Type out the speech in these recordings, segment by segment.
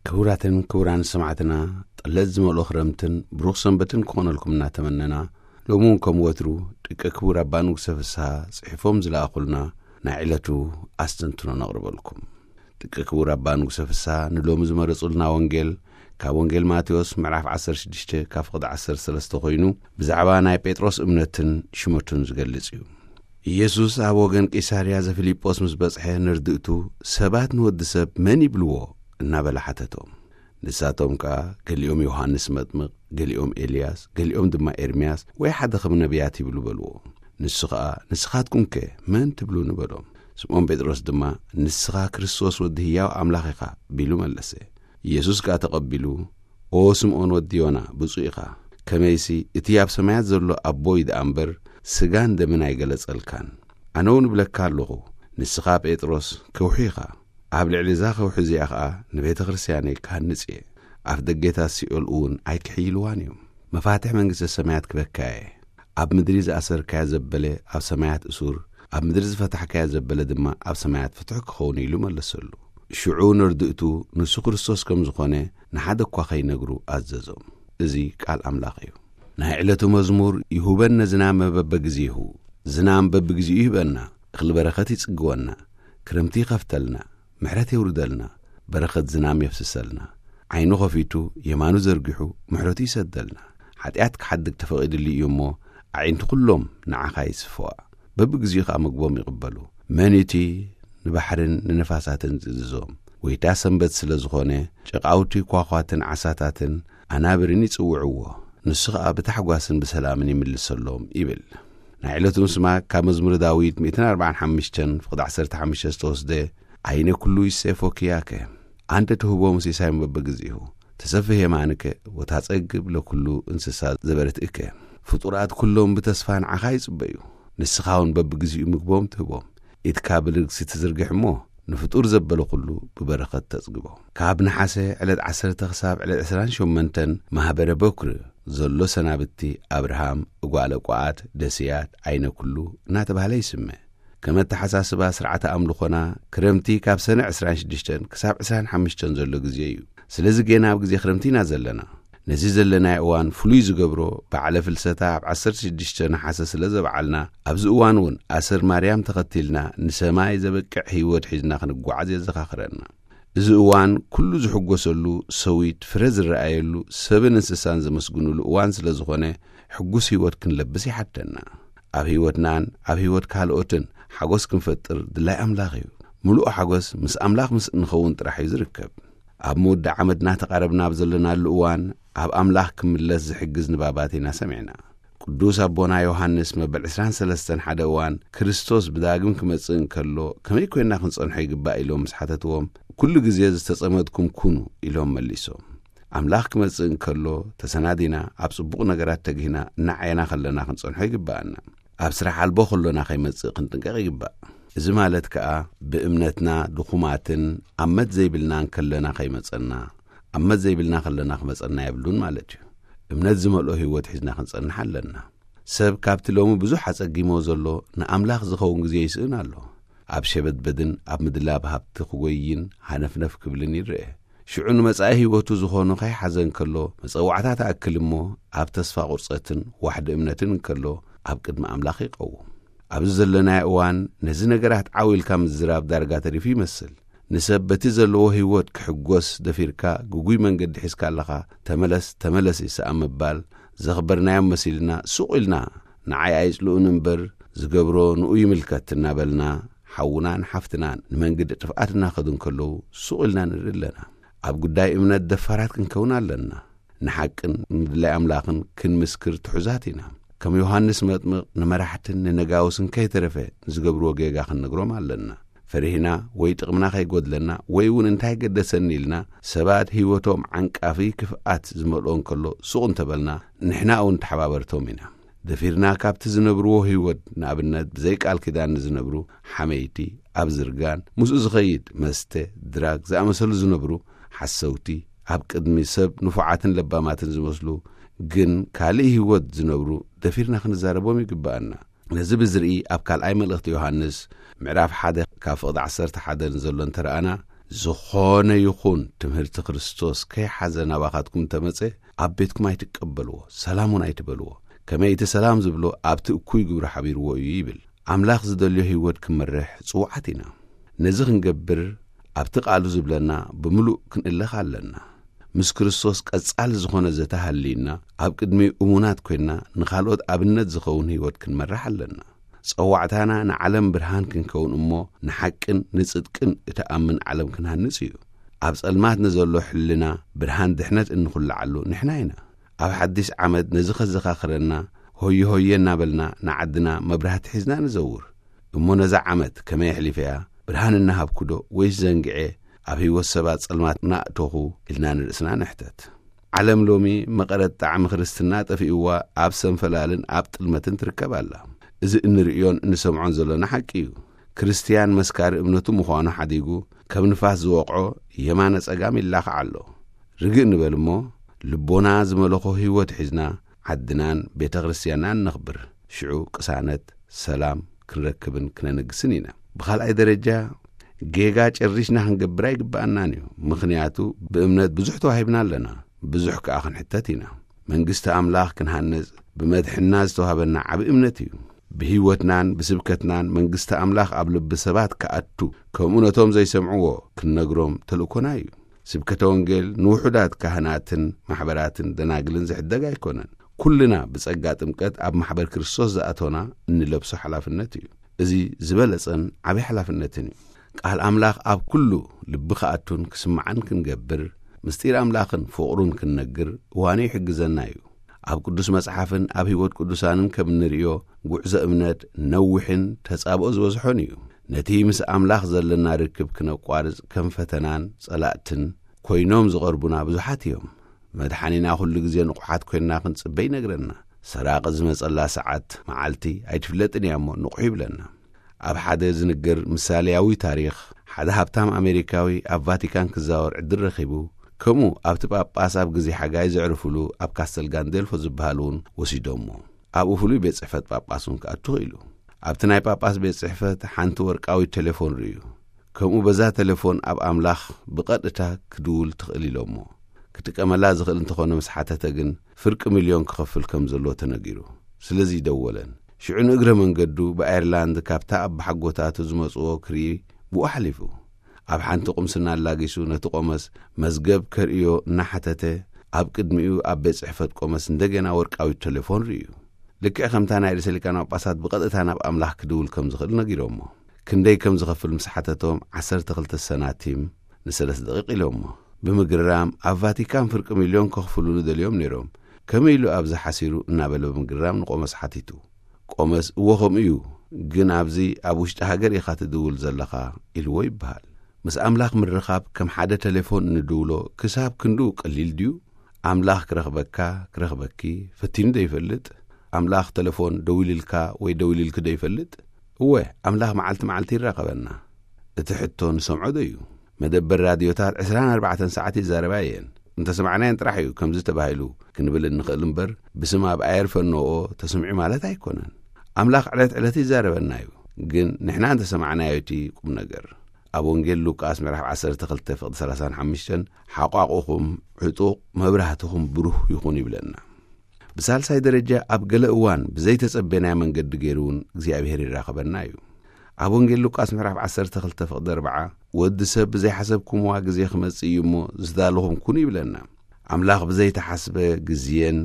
ክቡራትን ክቡራን ሰማዕትና፣ ጠለዝ ዝመልኦ ክረምትን ብሩኽ ሰንበትን ክኾነልኩም እናተመነና፣ ሎሚ እውን ከም ወትሩ ደቂ ክቡር ኣባ ንጉሰ ፍስሃ ጽሒፎም ዝለኣኹልና ናይ ዕለቱ ኣስተንትኖ ነቕርበልኩም። ደቂ ክቡር ኣባ ንጉሰ ፍስሃ ንሎሚ ዝመረጹልና ወንጌል ካብ ወንጌል ማቴዎስ ምዕራፍ ዓሰርተ ሽዱሽተ ካብ ፍቕዲ ዓሰርተ ሰለስተ ኮይኑ፣ ብዛዕባ ናይ ጴጥሮስ እምነትን ሽመቱን ዝገልጽ እዩ። ኢየሱስ ኣብ ወገን ቂሳርያ ዘፊልጶስ ምስ በጽሐ፣ ንርድእቱ ሰባት ንወዲ ሰብ መን ይብልዎ እናበለ ሓተቶም። ንሳቶም ከኣ፣ ገሊኦም ዮሃንስ መጥምቕ፣ ገሊኦም ኤልያስ፣ ገሊኦም ድማ ኤርምያስ ወይ ሓደ ከም ነቢያት ይብሉ በልዎ። ንሱ ኸኣ፣ ንስኻትኩምከ መን ትብሉኒ በሎም። ስምዖን ጴጥሮስ ድማ፣ ንስኻ ክርስቶስ ወዲ ህያው ኣምላኽ ኢኻ ቢሉ መለሰ። ኢየሱስ ከኣ ተቐቢሉ፣ ኦ ስምዖን ወዲ ዮና፣ ብፁዕ ኢኻ። ከመይሲ እቲ ኣብ ሰማያት ዘሎ ኣቦይ ደኣ እምበር፣ ስጋን ደምን ኣይገለጸልካን። ኣነ እውን እብለካ ኣለኹ፣ ንስኻ ጴጥሮስ ከውሒ ኢኻ። ኣብ ልዕሊ እዛ ከውሒ እዚኣ ኸኣ ንቤተ ክርስትያነይ ክሃንጽ እየ። ኣፍ ደጌታት ሲኦል እውን ኣይክሕይልዋን እዮም። መፋትሕ መንግስተ ሰማያት ክበካ እየ። ኣብ ምድሪ ዝኣሰርካዮ ዘበለ ኣብ ሰማያት እሱር፣ ኣብ ምድሪ ዝፈታሕካዮ ዘበለ ድማ ኣብ ሰማያት ፍትሕ ክኸውን እዩ ኢሉ መለሰሉ። ሽዑ ንርድእቱ ንሱ ክርስቶስ ከም ዝኾነ ንሓደ እኳ ከይነግሩ ኣዘዞም። እዚ ቃል ኣምላኽ እዩ። ናይ ዕለቱ መዝሙር፣ ይሁበነ ዝናመ በበግዜሁ፣ ዝናም በብግዜኡ ይህበና፣ እኽሊ በረኸት ይጽግወና፣ ክረምቲ ይኸፍተልና፣ ምሕረት የውርደልና፣ በረኸት ዝናም የፍስሰልና፣ ዓይኑ ኸፊቱ የማኑ ዘርጊሑ ምሕረቱ ይሰደልና። ሓጢኣት ክሓድግ ተፈቒድሉ እዩ እሞ፣ ኣዒንቲ ኩሎም ንዓኻ ይስፈዋ፣ በብግዜኡ ኸኣ ምግቦም ይቕበሉ። መን እቲ ንባሕርን ንነፋሳትን ዝእዝዞም? ጎይታ ሰንበት ስለ ዝኾነ፣ ጨቓውቲ ኳዃትን ዓሳታትን ኣናብርን ይጽውዕዎ። ንሱ ኸኣ ብታሕጓስን ብሰላምን ይምልሰሎም ይብል። ናይ ዕለቱ ምስማዕ ካብ መዝሙረ ዳዊት ሚእትን ኣርባዓን ሓሙሽተን ፍቕዲ ዓሰርተ ሓሙሽተ ዝተወስደ፣ ኣይነ ኩሉ ይሴፎኪያከ፣ ኣንተ ትህቦ ሲሳዮም በበግዜሁ፣ ተሰፍህ የማንከ ወታጸግብ ለኩሉ እንስሳ ዘበረትእከ። ፍጡራት ኩሎም ብተስፋ ንዓኻ ይጽበዩ፣ ንስኻ እውን በብግዜኡ ምግቦም ትህቦም። ኢድካ ብልግሲ ትዝርግሕ እሞ፣ ንፍጡር ዘበለ ኩሉ ብበረኸት ተጽግቦ። ካብ ነሓሰ ዕለት ዓሰርተ ክሳብ ዕለት ዕስራን ሸሞንተን ማህበረ በኩር ዘሎ ሰናብቲ ኣብርሃም፣ እጓለ ቋዓት፣ ደስያት፣ ዓይነ ኩሉ እናተባህለ ይስመ። ከም ኣተሓሳስባ ስርዓተ ኣምልኾና፣ ክረምቲ ካብ ሰነ ዕስራን ሽዱሽተን ክሳብ ዕስራን ሓሙሽተን ዘሎ ግዜ እዩ። ስለዚ ጌና ኣብ ግዜ ክረምቲ ኢና ዘለና። ነዚ ዘለናዮ እዋን ፍሉይ ዝገብሮ፣ በዓለ ፍልሰታ ኣብ ዓሰርተ ሽዱሽተ ነሓሰ ስለ ዘብዓልና፣ ኣብዚ እዋን እውን ኣሰር ማርያም ተኸቲልና ንሰማይ ዘበቅዕ ህይወት ሒዝና ክንጓዓዝ የዘኻኽረና። እዚ እዋን ኩሉ ዝሕጎሰሉ፣ ሰዊት ፍረ ዝረኣየሉ፣ ሰብን እንስሳን ዘመስግኑሉ እዋን ስለ ዝኾነ፣ ሕጉስ ህይወት ክንለብስ ይሓተና። ኣብ ህይወትናን ኣብ ህይወት ካልኦትን ሓጎስ ክንፈጥር ድላይ ኣምላኽ እዩ። ምሉእ ሓጎስ ምስ ኣምላኽ ምስ እንኸውን ጥራሕ እዩ ዝርከብ። ኣብ መወዳእ ዓመት እናተቓረብና ኣብ ዘለናሉ እዋን፣ ኣብ ኣምላኽ ክምለስ ዝሕግዝ ንባባት ኢና ሰሚዕና። ቅዱስ ኣቦና ዮሃንስ መበል ዕስራን ሰለስተን ሓደ እዋን፣ ክርስቶስ ብዳግም ክመጽእ እንከሎ፣ ከመይ ኮይንና ክንጸንሖ ይግባእ ኢሎም ምስ ሓተትዎም፣ ኩሉ ግዜ ዝተጸመድኩም ኩኑ ኢሎም መሊሶም። ኣምላኽ ክመጽእ እንከሎ፣ ተሰናዲና፣ ኣብ ጽቡቕ ነገራት ተግሂና፣ እናዓየና ከለና ክንጸንሖ ይግባኣና። ኣብ ስራሕ ኣልቦ ከሎና ከይመጽእ ክንጥንቀቕ ይግባእ። እዚ ማለት ከኣ፣ ብእምነትና ድኹማትን ኣመት ዘይብልናን ከለና ከይመጸና፣ ኣመት ዘይብልና ከለና ክመጸና የብሉን ማለት እዩ። እምነት ዝመልኦ ህይወት ሒዝና ክንጸንሕ ኣለና። ሰብ ካብቲ ሎሚ ብዙሕ ኣጸጊሞ ዘሎ ንኣምላኽ ዝኸውን ግዜ ይስእን ኣሎ። ኣብ ሸበድበድን ኣብ ምድላብ ሃብቲ ክጎይን ሃነፍነፍ ክብልን ይረአ። ሽዑ ንመጻኢ ህይወቱ ዝኾኖ ከይሓዘ እንከሎ፣ መጸዋዕታ ትኣክል እሞ፣ ኣብ ተስፋ ቁርጸትን ዋሕዲ እምነትን እንከሎ፣ ኣብ ቅድሚ ኣምላኽ ይቐውም። ኣብዚ ዘለናዮ እዋን፣ ነዚ ነገራት ዓው ኢልካ ምዝራብ ዳርጋ ተሪፉ ይመስል። ንሰብ በቲ ዘለዎ ህይወት ክሕጎስ ደፊርካ፣ ግጉይ መንገዲ ሒዝካ ኣለኻ፣ ተመለስ፣ ተመለስ ይስኣን ምባል፣ ዘኽበርናዮም መሲልና፣ ሱቕ ኢልና፣ ንዓይ ኣይጽልኡኒ እምበር፣ ዝገብሮ ንኡ ይምልከት እናበልና፣ ሓውናን ሓፍትናን ንመንገዲ ጥፍኣት እናኸዱ እንከለዉ፣ ሱቕ ኢልና ንርኢ ኣለና። ኣብ ጉዳይ እምነት ደፋራት ክንከውን ኣለና። ንሓቅን ንድላይ ኣምላኽን ክንምስክር ትሑዛት ኢና። ከም ዮሃንስ መጥምቕ ንመራሕትን ንነጋውስን ከይተረፈ ንዝገብርዎ ጌጋ ክንነግሮም ኣለና። ፈሪህና ወይ ጥቕምና ከይጎድለና ወይ እውን እንታይ ገደሰኒ ኢልና ሰባት ህይወቶም ዓንቃፊ ክፍኣት ዝመልኦ እንከሎ ሱቕ እንተበልና ንሕና እውን ተሓባበርቶም ኢና። ደፊርና ካብቲ ዝነብርዎ ህይወት ንኣብነት ብዘይ ቃል ኪዳን ንዝነብሩ ሓመይቲ፣ ኣብ ዝርጋን ምስኡ ዝኸይድ መስተ፣ ድራግ ዝኣመሰሉ ዝነብሩ ሓሰውቲ፣ ኣብ ቅድሚ ሰብ ንፉዓትን ለባማትን ዝመስሉ ግን ካልእ ህይወት ዝነብሩ ደፊርና ክንዛረቦም ይግብኣና። ነዚ ብዝርኢ ኣብ ካልኣይ መልእኽቲ ዮሃንስ ምዕራፍ ሓደ ካብ ፍቕዲ ዓሰርተ ሓደ ንዘሎ እንተረኣና፣ ዝኾነ ይኹን ትምህርቲ ክርስቶስ ከይሓዘ ናባኻትኩም እንተመጸ፣ ኣብ ቤትኩም ኣይትቀበልዎ፣ ሰላም እውን ኣይትበልዎ። ከመይ እቲ ሰላም ዝብሎ ኣብቲ እኩይ ግብሪ ሓቢርዎ እዩ ይብል። ኣምላኽ ዝደልዮ ህይወት ክንመርሕ ጽዉዓት ኢና። ነዚ ክንገብር ኣብቲ ቃሉ ዝብለና ብምሉእ ክንእለኽ ኣለና። ምስ ክርስቶስ ቀጻሊ ዝኾነ ዘተ ሃልዩና፣ ኣብ ቅድሚኡ እሙናት ኮይንና ንኻልኦት ኣብነት ዝኸውን ህይወት ክንመርሕ ኣለና። ጸዋዕታና ንዓለም ብርሃን ክንከውን እሞ፣ ንሓቅን ንጽድቅን እትኣምን ዓለም ክንሃንጽ እዩ። ኣብ ጸልማት ንዘሎ ሕልና ብርሃን ድሕነት እንኹልዓሉ ንሕና ኢና። ኣብ ሓድሽ ዓመት ነዚ ከዘኻኽረና፣ ሆየ ሆየ እናበልና ንዓድና መብራህቲ ሒዝና ንዘውር። እሞ ነዛ ዓመት ከመይ ኣሕሊፈያ? ብርሃን እናሃብኩዶ ወይስ ዘንግዔ ኣብ ህይወት ሰባት ጸልማት እናእተኹ? ኢልና ንርእስና ንሕተት። ዓለም ሎሚ መቐረት ጣዕሚ ክርስትና ጠፊእዋ ኣብ ሰንፈላልን ኣብ ጥልመትን ትርከብ ኣላ። እዚ እንርእዮን እንሰምዖን ዘሎና ሓቂ እዩ። ክርስትያን መስካሪ እምነቱ ምዃኑ ሓዲጉ ከም ንፋስ ዝወቕዖ የማነ ጸጋም ይላኻዕ ኣሎ። ርግእ ንበል እሞ ልቦና ዝመለኾ ህይወት ሒዝና ዓድናን ቤተ ክርስትያናን ነኽብር። ሽዑ ቅሳነት፣ ሰላም ክንረክብን ክነነግስን ኢና። ብኻልኣይ ደረጃ ጌጋ ጨሪሽና ክንገብር ኣይግብኣናን እዩ። ምኽንያቱ ብእምነት ብዙሕ ተዋሂብና ኣለና፣ ብዙሕ ከኣ ክንሕተት ኢና። መንግስቲ ኣምላኽ ክንሃንጽ ብመድሕና ዝተዋህበና ዓቢ እምነት እዩ። ብህይወትናን ብስብከትናን መንግስቲ ኣምላኽ ኣብ ልቢ ሰባት ክኣቱ፣ ከምኡ ነቶም ዘይሰምዕዎ ክንነግሮም ተልእኮና እዩ። ስብከተ ወንጌል ንውሑዳት ካህናትን ማሕበራትን ደናግልን ዝሕደግ ኣይኮነን። ኩልና ብጸጋ ጥምቀት ኣብ ማሕበር ክርስቶስ ዝኣቶና እንለብሶ ሓላፍነት እዩ። እዚ ዝበለጸን ዓቢ ሓላፍነትን እዩ። ቃል ኣምላኽ ኣብ ኩሉ ልቢ ክኣቱን ክስማዕን ክንገብር፣ ምስጢር ኣምላኽን ፍቕሩን ክንነግር እዋኑ ይሕግዘና እዩ። ኣብ ቅዱስ መጽሓፍን ኣብ ህይወት ቅዱሳንን ከም እንርእዮ፣ ጉዕዞ እምነት ነዊሕን ተጻብኦ ዝበዝሖን እዩ። ነቲ ምስ ኣምላኽ ዘለና ርክብ ክነቋርጽ ከም ፈተናን ጸላእትን ኮይኖም ዝቐርቡና ብዙሓት እዮም። መድሓኒና ኩሉ ግዜ ንቑሓት ኮይንና ክንጽበ ይነግረና። ሰራቒ ዝመጸላ ሰዓት መዓልቲ ኣይትፍለጥን እያ እሞ ንቑሕ ይብለና። ኣብ ሓደ ዝንገር ምሳሌያዊ ታሪኽ፣ ሓደ ሃብታም ኣሜሪካዊ ኣብ ቫቲካን ክዛወር ዕድል ረኺቡ፣ ከምኡ ኣብቲ ጳጳስ ኣብ ግዜ ሓጋይ ዘዕርፉሉ ኣብ ካስተል ጋንዴልፎ ዝበሃል እውን ወሲዶሞ። ኣብኡ ፍሉይ ቤት ጽሕፈት ጳጳስ እውን ክኣቱ ኽኢሉ። ኣብቲ ናይ ጳጳስ ቤት ጽሕፈት ሓንቲ ወርቃዊት ቴሌፎን ርእዩ። ከምኡ በዛ ቴሌፎን ኣብ ኣምላኽ ብቐጥታ ክድውል ትኽእል ኢሎሞ። ክጥቀመላ ዝኽእል እንተኾነ ምስ ሓተተ ግን ፍርቂ ሚልዮን ክኸፍል ከም ዘለዎ ተነጊሩ። ስለዚ ይደወለን። ሽዑ ንእግረ መንገዱ ብኣየርላንድ ካብታ ኣባሓጎታቱ ዝመጽዎ ክርኢ ብኡ ሓሊፉ። ኣብ ሓንቲ ቁምስና ኣላጊሱ ነቲ ቆመስ መዝገብ ከርእዮ እናሓተተ ኣብ ቅድሚኡ ኣብ ቤት ጽሕፈት ቆመስ እንደገና ወርቃዊት ቴሌፎን ርእዩ። ልክዕ ከምታ ናይ ርእሰ ሊቃነ ጳጳሳት ብቐጥታ ናብ ኣምላኽ ክድውል ከም ዝኽእል ነጊሮሞ። ክንደይ ከም ዝኸፍል ምስ ሓተቶም ዓሰርተ ክልተ ሰናቲም ንሰለስተ ደቂቕ ኢሎሞ። ብምግራም ኣብ ቫቲካን ፍርቂ ሚልዮን ከኽፍሉኒ ደልዮም ነይሮም። ከመይ ኢሉ ኣብዚ ሓሲሩ እናበለ ብምግራም ንቆመስ ሓቲቱ። ቆመስ እዎ ከምኡ እዩ፣ ግን ኣብዚ ኣብ ውሽጢ ሃገር ኢኻ ትድውል ዘለኻ ኢልዎ ይበሃል። ምስ ኣምላኽ ምርኻብ ከም ሓደ ቴሌፎን እንድውሎ ክሳብ ክንድኡ ቀሊል ድዩ? ኣምላኽ ክረኽበካ፣ ክረኽበኪ ፈቲኑ ዶ ይፈልጥ? ኣምላኽ ቴሌፎን ደዊልልካ ወይ ደዊልልኪ ዶ ይፈልጥ? እወ፣ ኣምላኽ መዓልቲ መዓልቲ ይራኸበና። እቲ ሕቶ ንሰምዖ ዶ እዩ? መደበር ራድዮታት ዕስራን ኣርባዕተን ሰዓት ይዛረባ እየን። እንተሰማዕናየን ጥራሕ እዩ ከምዚ ተባሂሉ ክንብል እንኽእል እምበር፣ ብስም ኣብ ኣየር ፈነዎ ተሰሚዑ ማለት ኣይኮነን። ኣምላኽ ዕለት ዕለት ይዛረበና እዩ፣ ግን ንሕና እንተሰማዕናዮ እቲ ቁም ነገር። ኣብ ወንጌል ሉቃስ ምዕራፍ ዓሰርተ ክልተ ፍቕዲ ሰላሳን ሓሙሽተን፣ "ሓቋቑኹም ዕጡቕ፣ መብራህትኹም ብሩህ ይኹን" ይብለና። ብሳልሳይ ደረጃ፣ ኣብ ገለ እዋን ብዘይተጸበናዮ መንገዲ ገይሩ እውን እግዚኣብሔር ይራኸበና እዩ። ኣብ ወንጌል ሉቃስ ምዕራፍ ዓሰርተ ክልተ ፍቕዲ ኣርብዓ፣ "ወዲ ሰብ ብዘይሓሰብኩምዋ ግዜ ክመጽእ እዩ እሞ ዝዳለኹም ኩኑ" ይብለና። ኣምላኽ ብዘይተሓስበ ግዜን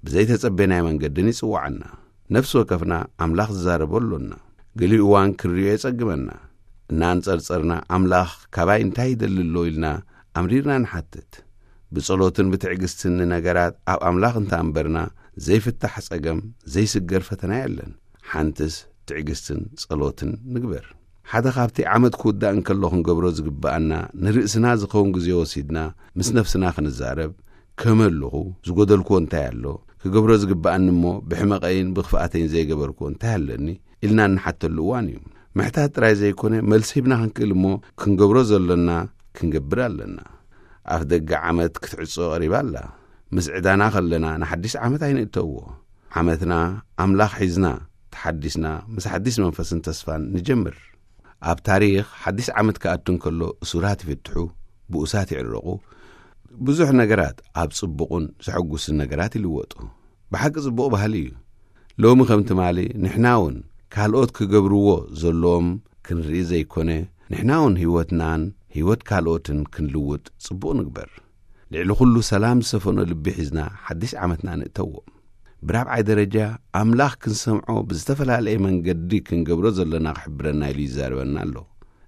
ብዘይተጸበናዮ መንገድን ይጽውዓና። ነፍሲ ወከፍና ኣምላኽ ዝዛረቦ ኣሎና። ገሊኡ እዋን ክንርእዮ የጸግመና። እናንጸርጸርና ኣምላኽ ካባይ እንታይ ይደሊ ኣሎ ኢልና ኣምሪርና ንሓትት። ብጸሎትን ብትዕግስትን ንነገራት ኣብ ኣምላኽ እንተኣንበርና ዘይፍታሕ ጸገም፣ ዘይስገር ፈተና የለን። ሓንትስ ትዕግስትን ጸሎትን ንግበር። ሓደ ካብቲ ዓመት ክውዳእ እንከሎ ክንገብሮ ዝግብኣና ንርእስና ዝኸውን ግዜ ወሲድና ምስ ነፍስና ክንዛረብ፣ ከመይ ኣለኹ? ዝጎደልክዎ እንታይ ኣሎ? ክገብሮ ዝግብኣኒ እሞ ብሕመቐይን ብኽፍኣተይን ዘይገበርክዎ እንታይ ኣለኒ? ኢልና እንሓተሉ እዋን እዩ። ምሕታት ጥራይ ዘይኮነ፣ መልሲ ሂብና ክንክእል እሞ ክንገብሮ ዘሎና ክንገብር ኣለና። ኣፍ ደገ ዓመት ክትዕጾ ቀሪባ ኣላ። ምስ ዕዳና ከለና ንሓድሽ ዓመት ኣይንእተዎ። ዓመትና ኣምላኽ ሒዝና፣ ተሓዲስና፣ ምስ ሓድሽ መንፈስን ተስፋን ንጀምር። ኣብ ታሪኽ ሓድሽ ዓመት ክኣቱ እንከሎ እሱራት ይፍትሑ፣ ብኡሳት ይዕረቑ፣ ብዙሕ ነገራት ኣብ ጽቡቕን ዘሐጉስን ነገራት ይልወጡ። ብሓቂ ጽቡቕ ባህሊ እዩ። ሎሚ ከም ትማሊ ንሕና እውን ካልኦት ክገብርዎ ዘለዎም ክንርኢ ዘይኮነ፣ ንሕና እውን ህይወትናን ህይወት ካልኦትን ክንልውጥ ጽቡቕ ንግበር። ልዕሊ ኩሉ ሰላም ዝሰፈኖ ልቢ ሒዝና ሓድሽ ዓመትና ንእተዎ። ብራብዓይ ደረጃ ኣምላኽ ክንሰምዖ ብዝተፈላለየ መንገዲ ክንገብሮ ዘለና ክሕብረና ኢሉ ይዛረበና ኣሎ።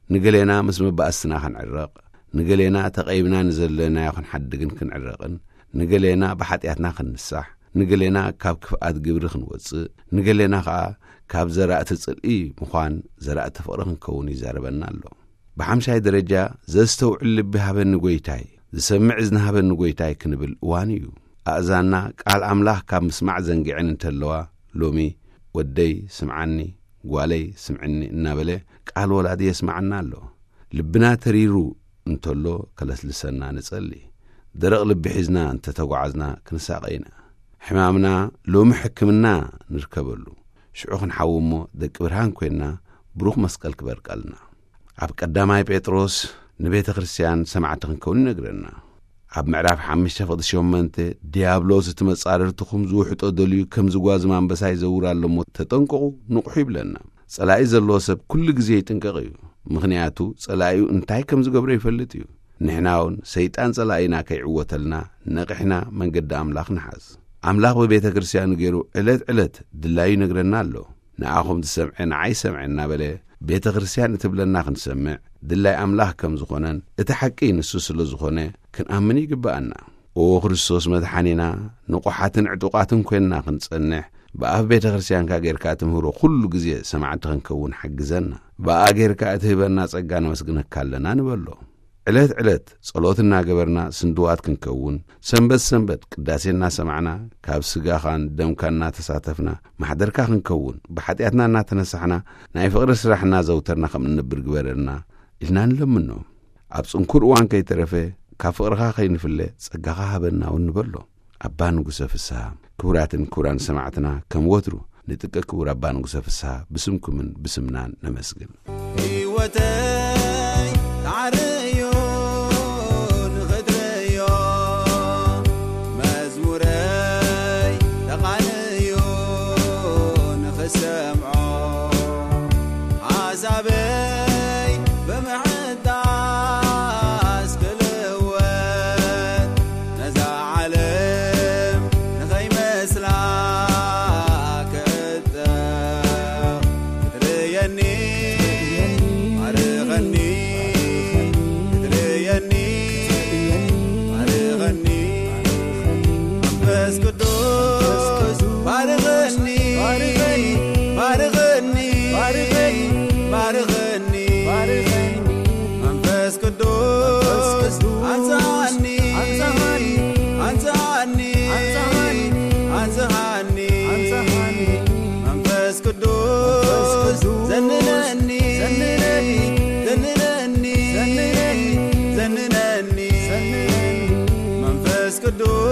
ንገሌና ምስ መባእስትና ክንዕረቕ፣ ንገሌና ተቐይምና ንዘለናዮ ክንሓድግን ክንዕረቕን፣ ንገሌና ብሓጢኣትና ክንንሳሕ፣ ንገሌና ካብ ክፍኣት ግብሪ ክንወጽእ፣ ንገሌና ኸኣ ካብ ዘራእቲ ጽልኢ ምዃን ዘራእቲ ፍቕሪ ክንከውን ይዛረበና ኣሎ። ብሓምሻይ ደረጃ ዘስተውዕል ልቢ ሃበኒ ጐይታይ፣ ዝሰምዕ እዝኒ ሃበኒ ጐይታይ ክንብል እዋኑ እዩ። ኣእዛንና ቃል ኣምላኽ ካብ ምስማዕ ዘንጊዐን እንተለዋ፣ ሎሚ ወደይ ስምዓኒ፣ ጓለይ ስምዕኒ እናበለ ቃል ወላዲ የስምዓና ኣሎ። ልብና ተሪሩ እንተሎ ከለስልሰና ንጸሊ። ደረቕ ልቢ ሒዝና እንተተጓዓዝና ክንሳቐ ኢና። ሕማምና ሎሚ ሕክምና ንርከበሉ። ሽዑ ክንሓዊ እሞ ደቂ ብርሃን ኮይንና ብሩኽ መስቀል ክበርቀልና። ኣብ ቀዳማይ ጴጥሮስ ንቤተ ክርስቲያን ሰማዕቲ ክንከውን ይነግረና። ኣብ ምዕራፍ ሓሙሽተ ፍቕዲ ሸሞንተ፣ "ዲያብሎስ እቲ መጻርርትኹም ዝውሕጦ ደልዩ ከም ዝጓዝም ኣንበሳ ይዘውር ኣሎ እሞ ተጠንቀቑ፣ ንቕሑ" ይብለና። ጸላኢ ዘለዎ ሰብ ኩሉ ግዜ ይጥንቀቕ እዩ። ምኽንያቱ ጸላኢኡ እንታይ ከም ዝገብሮ ይፈልጥ እዩ። ንሕና እውን ሰይጣን ጸላኢና ከይዕወተልና ነቒሕና መንገዲ ኣምላኽ ንሓዝ። ኣምላኽ ብቤተ ክርስቲያኑ ገይሩ ዕለት ዕለት ድላዩ ይነግረና ኣሎ። "ንኣኹም ዝሰምዐ ንዓይ ሰምዐ" እናበለ ቤተ ክርስቲያን እትብለና ክንሰምዕ ድላይ ኣምላኽ ከም ዝኾነን እቲ ሓቂ ንሱ ስለ ዝኾነ ክንኣምን ይግብኣና። "ኦ ክርስቶስ መድሓኒና፣ ንቑሓትን ዕጡቓትን ኮይንና ክንጸንሕ፣ ብኣፍ ቤተ ክርስቲያንካ ጌርካ ትምህሮ ኩሉ ግዜ ሰማዕቲ ክንከውን ሓግዘና። ብኣ ጌርካ እትህበና ጸጋ ነመስግነካ ኣለና" ንበሎ። ዕለት ዕለት ጸሎት እናገበርና ስንድዋት ክንከውን፣ ሰንበት ሰንበት ቅዳሴ እናሰማዕና፣ ካብ ስጋኻን ደምካን እናተሳተፍና ማሕደርካ ክንከውን፣ ብሓጢኣትና እናተነሳሕና ናይ ፍቕሪ ስራሕ እናዘውተርና ከም እንነብር ግበረልና ኢልና ንለምኖ። ኣብ ጽንኩር እዋን ከይተረፈ ካብ ፍቕርኻ ከይንፍለ ጸጋኻ ሃበና እውን ንበሎ። ኣባ ንጉሰ ፍስሃ። ክቡራትን ክቡራን ሰማዕትና፣ ከም ወትሩ ንጥቀ ክቡር ኣባ ንጉሰ ፍስሃ ብስምኩምን ብስምናን ነመስግን። ህይወተይ ተዓርዮ ንኽትርእዮ፣ መዝሙረይ ተቓንዮ ንኽሰምዖ፣ ሓሳበይ ብምሕዳስ ክልወጥ፣ ነዛ ዓለም ንኸይመስላ ክዕጠቕ፣ ክትርእየኒ ባርኸኒ፣ ክትርእየኒ ባርኸኒ። መንፈስ ቅዱስ ባርኸኒ፣ ባርኸኒ፣ ባርኸኒ፣ ባርኸኒ። መንፈስ ቅዱስ ኣንጽሃኒ፣ ኣንጽሃኒ፣ ኣንጽሃኒ፣ ኣንጽሃኒ። መንፈስ ቅዱስ ዘንነኒ፣ ዘንነኒ፣ ዘንነኒ። መንፈስ ቅዱስ